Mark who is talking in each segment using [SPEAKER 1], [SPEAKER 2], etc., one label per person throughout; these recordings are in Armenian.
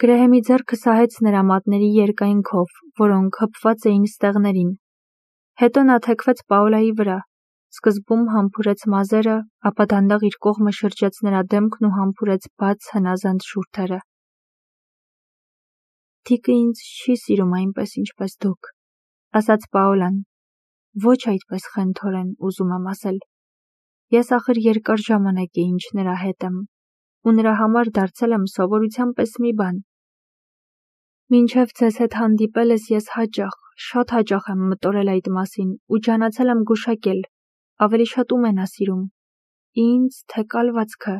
[SPEAKER 1] Գրեհեմի ձեռքը սահեց նրա մատների երկայնքով, որոնք հպված էին ստեղներին։ Հետո նա թեքվեց Պաոլայի վրա, սկզբում համբուրեց մազերը, ապա դանդաղ իր կողմը շրջեց նրա դեմքն ու համբուրեց բաց հնազանդ շուրթերը։ «Տիկը ինձ չի սիրում այնպես, ինչպես դուք», ասաց Պաոլան, ոչ այդպես խենթորեն, ուզում եմ ասել։ Ես ախր երկար ժամանակ է ինչ նրա հետ եմ, ու նրա համար դարձել եմ սովորության պես մի բան։ Մինչև ձեզ հետ հանդիպելս ես շատ հաճախ եմ մտորել այդ մասին ու ջանացել եմ գուշակել, ավելի շատ ում է նա սիրում, ինձ, թե կալվածքը։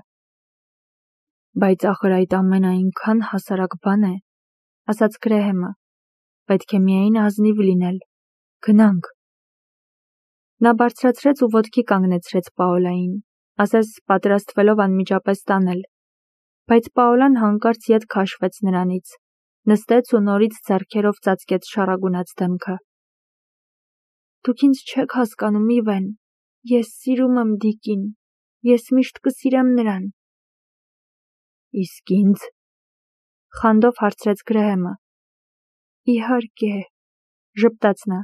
[SPEAKER 1] Բայց ախր այդ ամենը այնքան հասարակ բան է, ասաց Գրեհեմը, պետք է միայն ազնիվ լինել, գնանք։ Նա բարձրացրեց ու ոտքի կանգնեցրեց Պաոլային, ասես պատրաստվելով անմիջապես տանել, բայց Պաոլան հանկարծ ետ քաշվեց նրանից, նստեց ու նորից ձեռքերով ծածկեց շառագունած դեմքը։ Դուք ինձ չեք հասկանում, Իվեն, ես սիրում եմ Դիկին, ես միշտ կսիրեմ նրան։ Իսկ ինձ, խանդով հարցրեց Գրեհեմը։ Իհարկե, ժպտաց նա,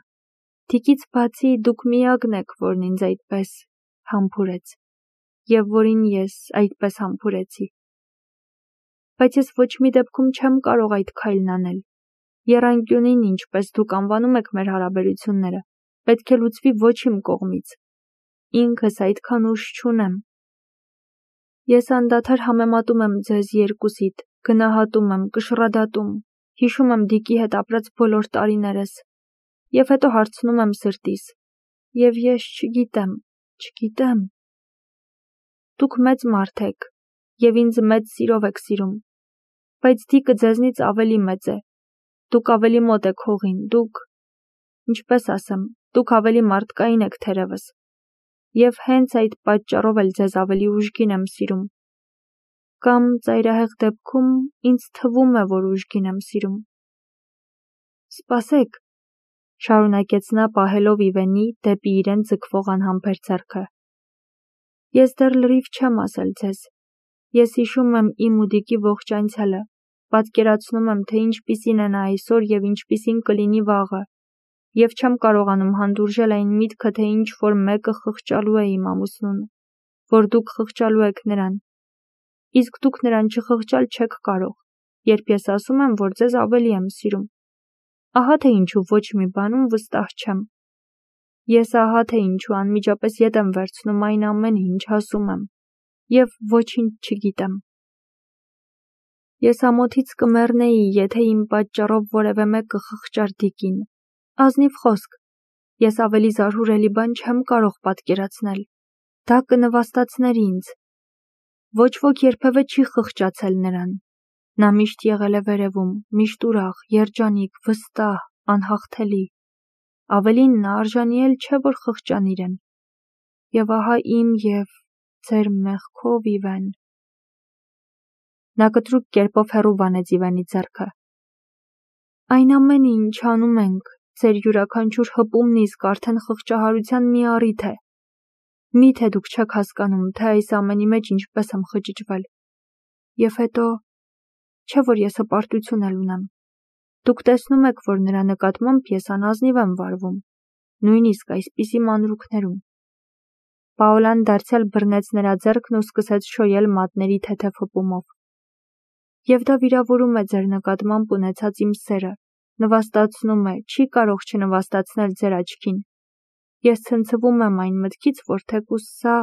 [SPEAKER 1] Դիկից բացի դուք միակն եք, որն ինձ այդպես համբուրեց, և որին ես այդպես համբուրեցի։ Բայց ես ոչ մի դեպքում չեմ կարող այդ քայլն անել։ Եռանկյունին, ինչպես դուք անվանում եք մեր հարաբերությունները, պետք է լուծվի ոչ իմ կողմից։ Ինքս այդքան ուժ չունեմ։ Ես անդադար համեմատում եմ ձեզ երկուսիդ, գնահատում եմ, կշռադատում, հիշում եմ Դիկի հետ ապրած բոլոր տարիներս, և հետո հարցնում եմ սրտիս, և ես չգիտեմ։ Դուք մեծ մարդ եք, և ինձ մեծ սիրով եք սիրում, բայց Դիկը ձեզնից ավելի մեծ է, դուք ավելի մոտ եք հողին, ինչպես ասեմ, դուք ավելի մարդկային եք թերևս, և հենց այդ պատճառով էլ ձեզ ավելի ուժգին եմ սիրում։ Կամ ծայրահեղ դեպքում ինձ թվում է, որ ուժգին եմ սիրում։ Սպասեք, շարունակեց նա պահելով Իվենի դեպի իրեն ձգվող անհամբեր ձեռքը։ Ես դեռ լրիվ չեմ ասել ձեզ։ Ես հիշում եմ իմ ու Դիկի ողջ անցյալը, պատկերացնում եմ, թե ինչպիսին է նա այսօր և ինչպիսին կլինի վաղը, և չեմ կարողանում հանդուրժել այն միտքը, թե ինչ-որ մեկը խղճալու է իմ ամուսնուն, որ դուք խղճալու եք նրան, իսկ դուք նրան չխղճալ չեք կարող, երբ ես ասում եմ, որ ձեզ ավելի եմ սիրում։ Ահա թե ինչու ոչ մի բանում վստահ չեմ։ Ես ահա թե ինչու անմիջապես ետ եմ վերցնում այն ամենը, ինչ ասում եմ, և ոչինչ չգիտեմ։ Ես ամոթից կմեռնեի, եթե իմ պատճառով որևէ մեկը խղճար Դիկին։ Ազնիվ խոսք, ես ավելի զարհուրելի բան չեմ կարող պատկերացնել։ Դա կնվաստացներ ինձ։ Ոչ ոք երբևէ չի խղճացել նրան։ Նա միշտ եղել է վերևում, միշտ ուրախ, երջանիկ, վստահ, անհաղթելի։ Ավելին, նա արժանի էլ չէ, որ խղճան իրեն։ Եվ ահա իմ և ձեր մեղքով, Իվեն։ Նա կտրուկ կերպով հեռու վանեց Իվենի ձեռքը։ Այն ամենը, ինչ անում ենք, ձեր յուրաքանչյուր հպումն իսկ արդեն խղճահարության մի առիթ է։ Միթե դուք չեք հասկանում, թե այս ամենի մեջ ինչպես եմ խճճվել։ Եվ հետո, չէ՞ որ ես հպարտություն էլ ունեմ։ Դուք տեսնում եք, որ նրա նկատմամբ ես անազնիվ եմ վարվում, նույնիսկ այսպիսի մանրուքներում։ Պաոլան դարձյալ բռնեց նրա ձեռքն ու սկսեց շոյել մատների թեթև հպումով։ Եվ դա վիրավորում է ձեր նկատմամբ ունեցած իմ սերը, նվաստացնում է, չի կարող չնվաստացնել ձեր աչքին։ Ես ցնցվում եմ այն մտքից, որ թեկուզ սա…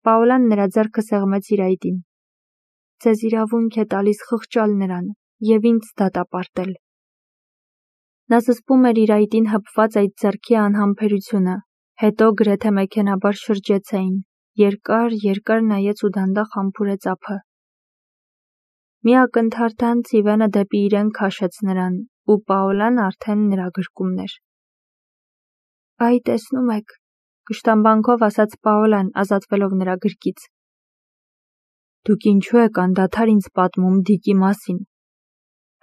[SPEAKER 1] Պաոլան նրա ձեռքը սեղմեց իր այտին։ Ձեզ իրավունք է տալիս խղճալ նրան և ինձ դատապարտել։ Նա զսպում էր իր այտին հպված այդ ձեռքի անհամբերությունը, հետո գրեթե մեքենաբար շրջեց այն, երկար նայեց ու դանդաղ համբուրեց ափը։ Մի ակնթարթանց Իվենը դեպի իրեն քաշեց նրան, ու Պաոլան արդեն նրա գրկումն էր։ Այ տեսնում եք, կշտամբանքով ասաց Պաոլան, ազատվելով նրա գրկից։ Դուք ինչու եք անդադար ինձ պատմում Դիկի մասին,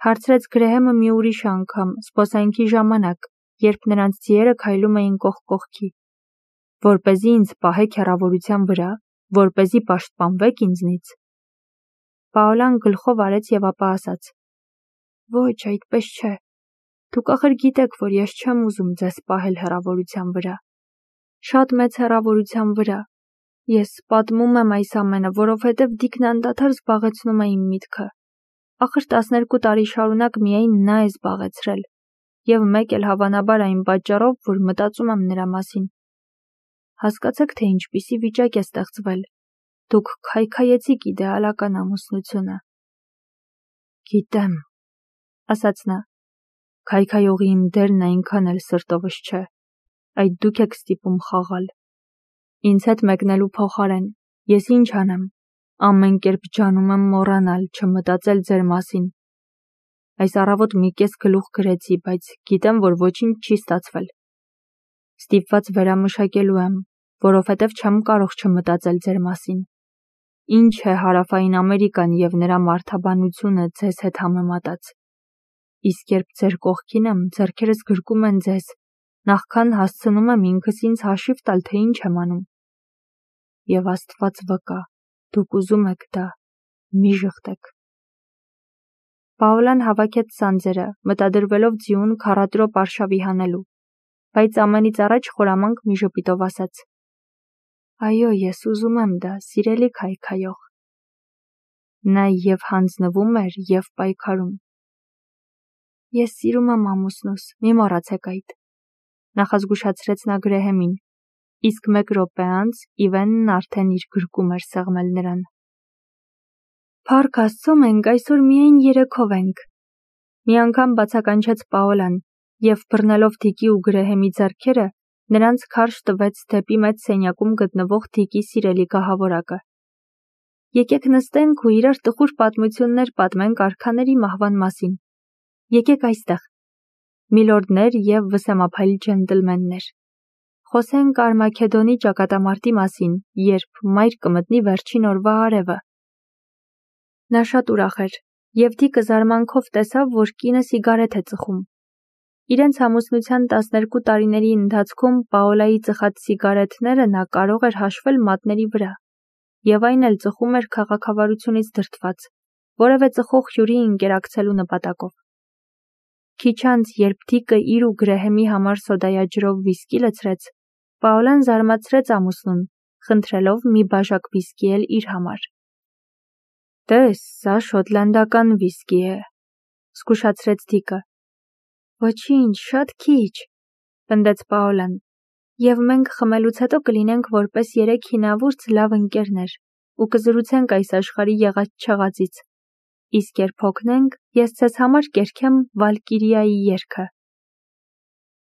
[SPEAKER 1] հարցրեց Գրեհեմը մի ուրիշ անգամ, զբոսանքի ժամանակ, երբ նրանց ձիերը քայլում էին կողք կողքի, որպեսզի ինձ պահեք հեռավորության վրա, որպեսզի պաշտպանվեք ինձնից։ Պաոլան գլխով արեց և ապա ասաց. Ոչ, այդպես չէ։ Դուք ախր գիտեք, որ ես չեմ ուզում ձեզ պահել հեռավորության վրա։ Շատ մեծ հեռավորության վրա։ Ես պատմում եմ այս ամենը, որովհետև Դիկն անդադար զբաղեցնում է իմ միտքը։ Ախր 12 տարի շարունակ միայն նա է զբաղեցրել, և մեկ էլ հավանաբար այն պատճառով, որ մտածում եմ նրա մասին։ Հասկացեք, թե ինչպիսի վիճակ է ստեղծվել։ Դուք քայքայեցիք իդեալական ամուսնությունը։ Գիտեմ, ասաց նա, քայքայողի իմ դերն այնքան էլ սրտովս չէ, այդ դուք եք ստիպում խաղալ։ Ինձ հետ մեկնելու փոխարեն, ես ինչ անեմ, ամեն կերպ ջանում եմ մոռանալ, չմտածել ձեր մասին։ Այս առավոտ մի կես գլուխ գրեցի, բայց գիտեմ, որ ոչինչ չի ստացվել։ Ստիպված վերամշակելու եմ, որովհետև չեմ կարող չմտածել ձեր մասին։ Ինչ է Հարավային Ամերիկան և նրա մարդաբանությունը ձեզ հետ համեմատած։ Իսկ երբ ձեր կողքին եմ, ձեռքերս գրկում են ձեզ, նախքան հասցնում եմ ինքս ինձ հաշիվ տալ, թե ինչ եմ անում։ Եվ Աստված վկա, դուք ուզում եք դա, մի ժխտեք։ Պաոլան հավաքեց սանձերը, մտադրվելով ձիուն քառատրոպ արշավի հանելու, բայց ամենից առաջ խորամանկ մի ժպիտով ասաց. Այո, ես ուզում եմ դա, սիրելի քայքայող։ Նա և հանձնվում էր, և պայքարում։ Ես սիրում եմ ամուսնուս, մի մոռացեք այդ, նախազգուշացրեց նա Գրեհեմին, իսկ 1 րոպե անց Իվենն արդեն իր գրկում էր սեղմել նրան։ Փառք Աստծո, մենք այսօր միայն երեքով ենք, մի անգամ բացականչեց Պաոլան, և բռնելով Դիկի ու Գրեհեմի ձեռքերը, նրանց քարշ տվեց դեպի մեծ սենյակում գտնվող Դիկի սիրելի գահավորակը։ Եկեք նստենք ու իրար տխուր պատմություններ պատմենք արքաների մահվան մասին։ Եկեք այստեղ, միլորդներ և վսեմափայլ ջենտլմեններ։ Խոսենք Արմագեդոնի ճակատամարտի մասին, երբ մայր կմտնի վերջին օրվա արևը։ Նա շատ ուրախ էր, և Դիկը զարմանքով տեսավ, որ կինը սիգարետ է ծխում։ Իրենց ամուսնության 12 տարիների ընթացքում Պաոլայի ծխած սիգարետները նա կարող էր հաշվել մատների վրա, և այն էլ ծխում էր քաղաքավարությունից դրդված, որևէ ծխող հյուրի ընկերակցելու նպատակով։ Քիչ անց, երբ Դիկը իր ու Գրեհեմի համար սոդայաջրով վիսկի լցրեց, Պաոլան զարմացրեց ամուսնուն, խնդրելով մի բաժակ վիսկի էլ իր համար։ Տես, սա շոտլանդական վիսկի է, զգուշացրեց Դիկը։ Ոչինչ, շատ քիչ, պնդեց Պաոլան, և մենք խմելուց հետո կլինենք որպես 3 հինավուրց լավ ընկերներ ու կզրուցենք այս աշխարհի եղած-չեղածից, իսկ երբ հոգնենք, ես ձեզ համար կերքեմ Վալկիրիայի երգը։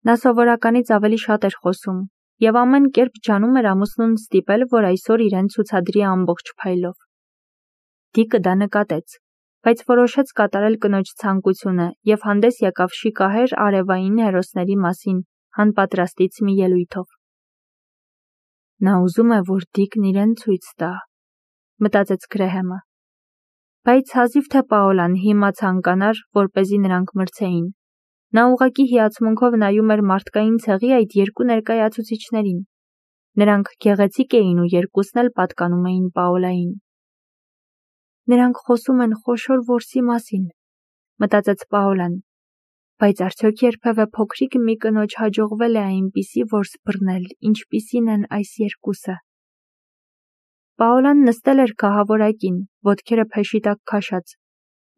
[SPEAKER 1] Նա սովորականից ավելի շատ էր խոսում, և ամեն կերպ ջանում էր ամուսնուն ստիպել, որ այսօր իրեն ցուցադրի ամբողջ փայլով։ Դիկը դա նկատեց, բայց որոշեց կատարել կնոջ ցանկությունը և հանդես եկավ շիկահեր արևային հերոսների մասին հանպատրաստից մի ելույթով։ Նա ուզում է, որ Դիկն իրեն ցույց տա, մտածեց Գրեհեմը։ Բայց հազիվ թե Պաոլան հիմա ցանկանար, որպեսզի նրանք մրցեին։ Նա ուղղակի հիացմունքով նայում էր մարդկային ցեղի այդ երկու ներկայացուցիչներին։ Նրանք գեղեցիկ էին ու երկուսն էլ պատկանում էին Պաոլային։ Նրանք խոսում են խոշոր որսի մասին, մտածեց Պաոլան, բայց արդյոք երբևէ փոքրիկ մի կնոջ հաջողվել է այնպիսի որս բռնել, ինչպիսին են այս երկուսը։ Պաոլան նստել էր գահավորակին, ոտքերը փեշի տակ քաշած,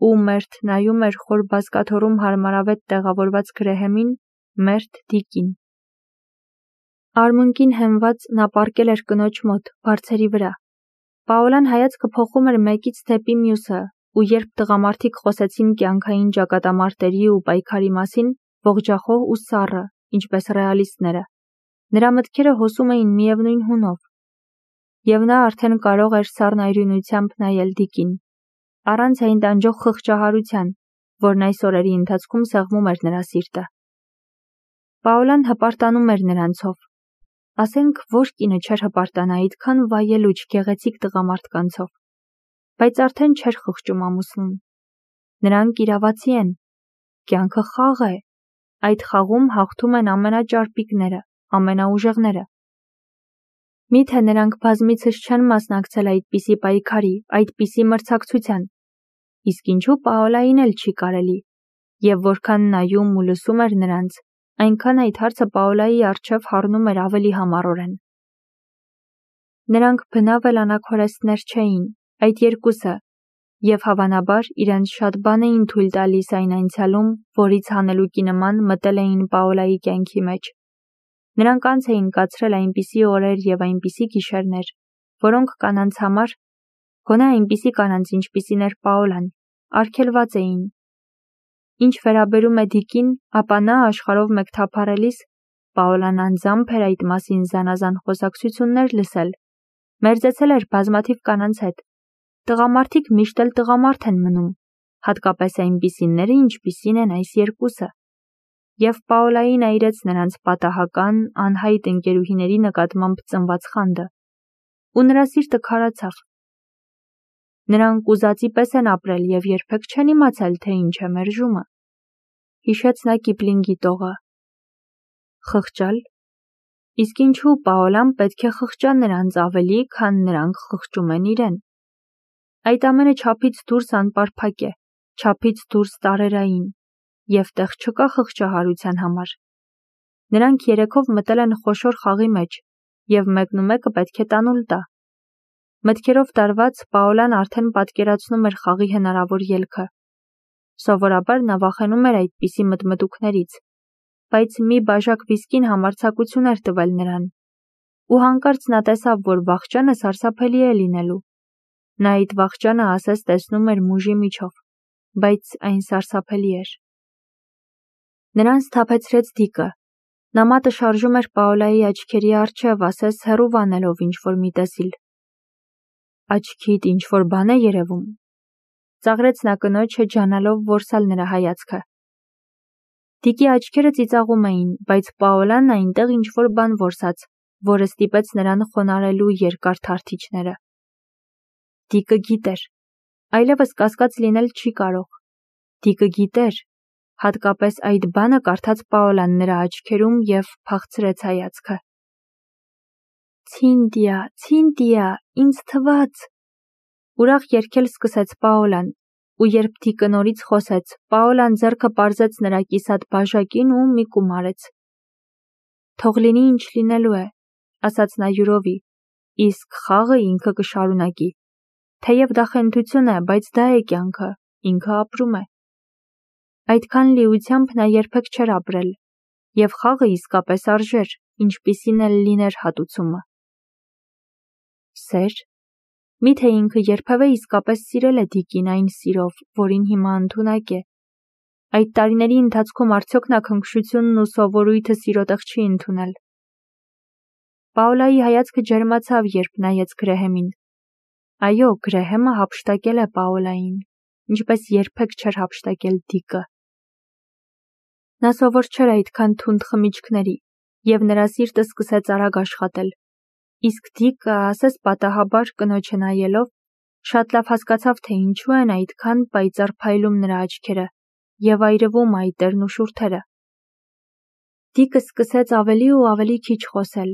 [SPEAKER 1] ու մերթ նայում էր խոր բազկաթոռում հարմարավետ տեղավորված Գրեհեմին, մերթ Դիկին։ Արմունկին հենված նա պառկել էր կնոջ մոտ, բարձերի վրա։ Պաոլան հայացքը փոխում էր մեկից դեպի մյուսը, ու երբ տղամարդիկ խոսեցին կյանքային ճակատամարտերի ու պայքարի մասին, ողջախոհ ու սառը, ինչպես ռեալիստները, նրա մտքերը հոսում էին միևնույն հունով։ Եվ նա արդեն կարող էր սառնայրույնությամբ նայել Դիկին, առանց այն տանջող խղճահարության, որն այս օրերի ընթացքում սեղմում էր նրա սիրտը։ Պաոլան հպարտանում էր նրանցով։ Ասենք, որ կինը չէր հպարտանա այդքան վայելուչ գեղեցիկ տղամարդկանցով, բայց արդեն չէր խղճում ամուսնուն։ Նրանք իրավացի են, կյանքը խաղ է, այդ խաղում հաղթում են ամենաճարպիկները, ամենաուժեղները։ Միթե նրանք բազմիցս չեն մասնակցել այդպիսի պայքարի, այդպիսի մրցակցության, իսկ ինչու Պաոլային էլ չի կարելի, Եվ որքան նայում ու լսում էր նրանց, այնքան այդ հարցը Պաոլայի առջև հառնում էր ավելի համառորեն։ Նրանք բնավ էլ անաքորեստներ չէին, այդ երկուսը, և հավանաբար իրենց շատ բան էին թույլ տալիս այն անցյալում, որից հանելուկի նման մտել էին Պաոլայի կյանքի մեջ։ Նրանք անց էին կացրել այնպիսի օրեր և այնպիսի գիշերներ, որոնք կանանց համար, գոնե այնպիսի կանանց, ինչպիսին էր Պաոլան, արգելված էին։ Ինչ վերաբերում է Դիկին, ապա նա աշխարհով մեկ թափառելիս Պաոլան անձամբ էր այդ մասին զանազան խոսակցություններ լսել, մերձեցել էր բազմաթիվ կանանց հետ։ Տղամարդիկ միշտ էլ տղամարդ են մնում, հատկապես այնպիսիները, ինչպիսին են այս երկուսը։ Եվ Պաոլային այրեց նրանց պատահական, անհայտ ընկերուհիների նկատմամբ ծնված խանդը, ու նրա սիրտը քարացավ։ Նրանք ուզածի պես են ապրել և երբեք չեն իմացել, թե ինչ է մերժումը։ Հիշեց նա Կիպլինգի տողը։ Խղճալ։ Իսկ ինչու Պաոլան պետք է խղճա նրանց ավելի, քան նրանք խղճում են իրեն։ Այդ ամենը չափից դուրս անպարփակ է, չափից դուրս տարերային, և տեղ չկա խղճահարության համար։ Նրանք երեքով մտել են խոշոր խաղի մեջ, և մեկնումեկը պետք է տանուլ տա։ Մտքերով տարված Պաոլան արդեն պատկերացնում էր խաղի հնարավոր ելքը։ Սովորաբար նա վախենում էր այդպիսի մտմտուքներից, բայց մի բաժակ վիսկին համարձակություն էր տվել նրան, ու հանկարծ նա տեսավ, որ վախճանը սարսափելի է լինելու։ Նա այդ վախճանը ասես տեսնում էր մուժի միջով, բայց այն սարսափելի էր։ Նրան սթափեցրեց Դիկը։ Նա մատը շարժում էր Պաոլայի աչքերի առջև, ասես հեռու վանելով ինչ-որ մի տեսիլ։ Աչքիդ ինչ-որ բան է երևում։ Ծաղրեց նա կնոջը, ջանալով որսալ նրա հայացքը։ Դիկի աչքերը ծիծաղում էին, բայց Պաոլան այնտեղ ինչ-որ բան որսաց, որը ստիպեց նրան խոնարհելու երկար թարթիչները։ Դիկը գիտեր։ Այլևս կասկած լինել չի կարող։ Դիկը գիտեր, հատկապես այդ բանը կարդաց Պաոլան նրա աչքերում և փախցրեց հայացքը։ Ցինդիա, Ցինդիա, ինձ թվաց։ Ուրախ երգել սկսեց Պաոլան, ու երբ Դիկը նորից խոսեց, Պաոլան ձեռքը պարզեց նրա կիսատ բաժակին ու մի կում արեց։ Թող լինի ինչ լինելու է, ասաց նա յուրովի, իսկ խաղը ինքը կշարունակի։ Թեև դա խենթություն է, բայց դա է կյանքը, ինքը ապրում է։ Այդքան լիությամբ նա երբեք չէր ապրել, և խաղը իսկապես արժեր, ինչպիսին էլ լիներ հատուցումը։ Սեր։ Միթե ինքը երբևէ իսկապես սիրել է Դիկին այն սիրով, որին հիմա ընդունակ է։ Այդ տարիների ընթացքում արդյոք նա քնքշությունն ու սովորույթը սիրոտեղ չի ընդունել։ Պաոլայի հայացքը ջերմացավ, երբ նայեց Գրեհեմին։ Այո, Գրեհեմը հափշտակել է Պաոլային, ինչպես երբեք չէր հափշտակել Դիկը։ Նա սովոր չէր այդքան թունդ խմիչքների, և նրա սիրտը սկսեց արագ աշխատել։ Իսկ Դիկը, ասես պատահաբար կնոջը նայելով, շատ լավ հասկացավ, թե ինչու են այդքան պայծառ փայլում նրա աչքերը և այրվում այտերն ու շուրթերը։ Դիկը սկսեց ավելի ու ավելի քիչ խոսել,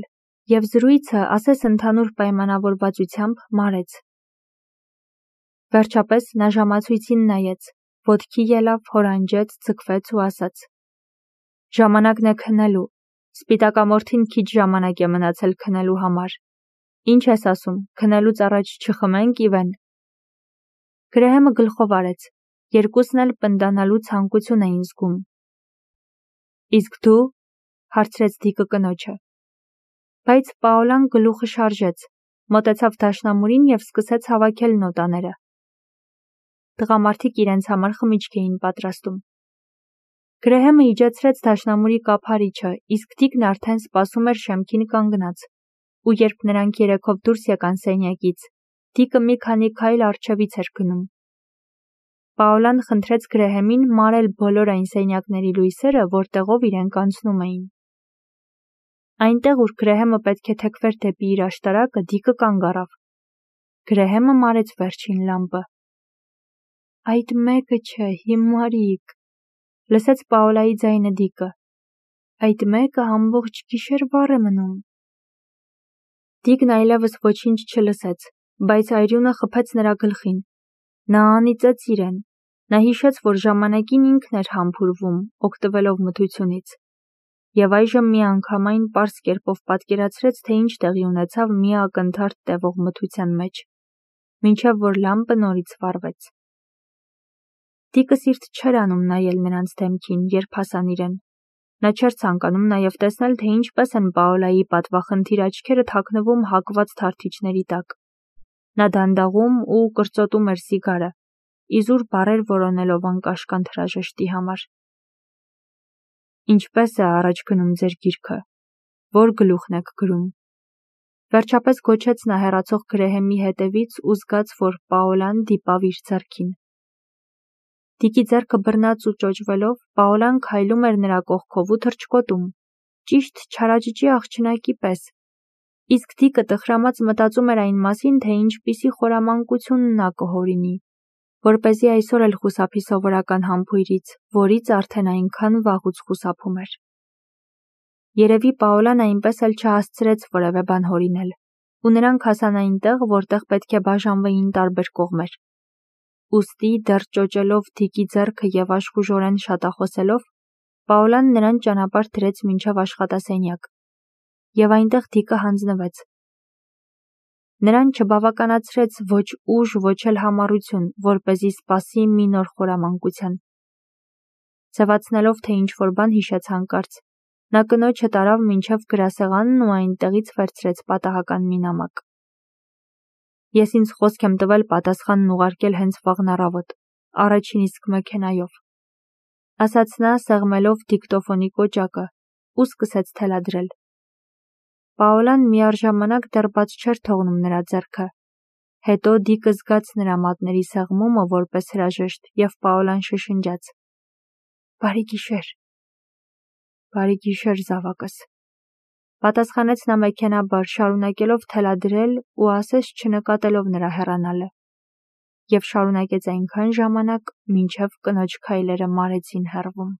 [SPEAKER 1] և զրույցը, ասես ընդհանուր պայմանավորվածությամբ, մարեց։ Վերջապես նա ժամացույցին նայեց, ոտքի ելավ, հորանջեց, ձգվեց ու ասաց. Ժամանակն է քնելու, սպիտակամորթին քիչ ժամանակ է մնացել քնելու համար։ Ինչ ես ասում, քնելուց առաջ չխմենք, Իվեն։ Գրեհեմը գլխով արեց, երկուսն էլ պնդանալու ցանկություն էին զգում։ Իսկ դու, հարցրեց Դիկը կնոջը։ Բայց Պաոլան գլուխը շարժեց, մոտեցավ դաշնամուրին և սկսեց հավաքել նոտաները։ Տղամարդիկ իրենց համար խմիչք էին պատրաստում։ Գրեհեմը իջեցրեց դաշնամուրի կափարիչը, իսկ Դիկն արդեն սպասում էր շեմքին կանգնած, ու երբ նրանք երեքով դուրս եկան սենյակից, Դիկը մի քանի քայլ առջևից էր գնում։ Պաոլան խնդրեց Գրեհեմին մարել բոլոր այն սենյակների լույսերը, որտեղով իրենք անցնում էին։ Այնտեղ, ուր Գրեհեմը պետք է թեքվեր դեպի իր աշտարակը, Դիկը կանգ առավ։ Գրեհեմը մարեց վերջին լամպը։ Այդ մեկը չէ, հիմարիկ, լսեց Պաոլայի ձայնը Դիկը։ Այդ մեկը ամբողջ գիշեր վառ է մնում։ Դիկն այլևս ոչինչ չլսեց, բայց այրյունը խփեց նրա գլխին։ Նա անիծեց իրեն։ Նա հիշեց, որ ժամանակին ինքն էր համբուրվում, օգտվելով մթությունից, և այժմ միանգամայն պարզ կերպով պատկերացրեց, թե ինչ տեղի ունեցավ մի ակնթարթ տևող մթության մեջ, մինչև որ լամպը նորից վառվեց։ Դիկը սիրտ չէր անում նայել նրանց դեմքին, երբ հասան իրեն։ Նա չէր ցանկանում նաև տեսնել, թե ինչպես են Պաոլայի պատվախնդիր աչքերը թաքնվում հակված թարթիչների տակ։ Նա դանդաղում ու կրծոտում էր սիգարը, իզուր բառեր որոնելով անկաշկանդ հրաժեշտի համար։ Ինչպե՞ս է առաջ գնում ձեր գիրքը, որ գլուխն եք գրում։ Վերջապես գոչեց նա հեռացող գրեհեմի հետևից ու զգաց, որ Պաոլան դիպավ իր ձեռքին։ Դիկի ձեռքը բռնած ու ճոճվելով, Պաոլան քայլում էր նրա կողքով ու թռչկոտում, ճիշտ չարաճճի աղջնակի պես, իսկ Դիկը տխրամած մտածում էր այն մասին, թե ինչպիսի խորամանկություն նա կհորինի, որպեսզի այսօր էլ խուսափի սովորական համբույրից, որից արդեն այնքան վաղուց խուսափում էր։ Երևի Պաոլան այնպես էլ չհասցրեց որևէ բան հորինել, ու նրանք հասան այնտեղ, որտեղ պետք է բաժանվեին տարբեր կողմեր։ Ուստի դեռ ճոճելով Դիկի ձեռքը և աշխուժորեն շատախոսելով, Պաոլան նրան ճանապարհ դրեց մինչև աշխատասենյակ, և այնտեղ Դիկը հանձնվեց։ Նրան չբավականացրեց ոչ ուժ, ոչ էլ համառություն, որպեսզի սպասի մի նոր խորամանկության։ Ձևացնելով, թե ինչ-որ բան հիշեց հանկարծ, նա կնոջը տարավ մինչև գրասեղանն ու այնտեղից վերցրեց պատահական մի նամակ։ Ես ինձ խոսք եմ տվել պատասխանն ուղարկել հենց վաղն առավոտ, առաջին իսկ մեքենայով, ասաց նա, սեղմելով դիկտոֆոնի կոճակը, ու սկսեց թելադրել։ Պաոլան միառժամանակ դեռ բաց չէր թողնում նրա ձեռքը։ Հետո Դիկը զգաց նրա մատների սեղմումը որպես հրաժեշտ, և Պաոլան շշնջաց. «Բարի գիշեր»։ «Բարի գիշեր, զավակս», պատասխանեց նա մեքենաբար, շարունակելով թելադրել ու ասես չնկատելով նրա հեռանալը, և շարունակեց այնքան ժամանակ, մինչև կնոջ քայլերը մարեցին հեռվում։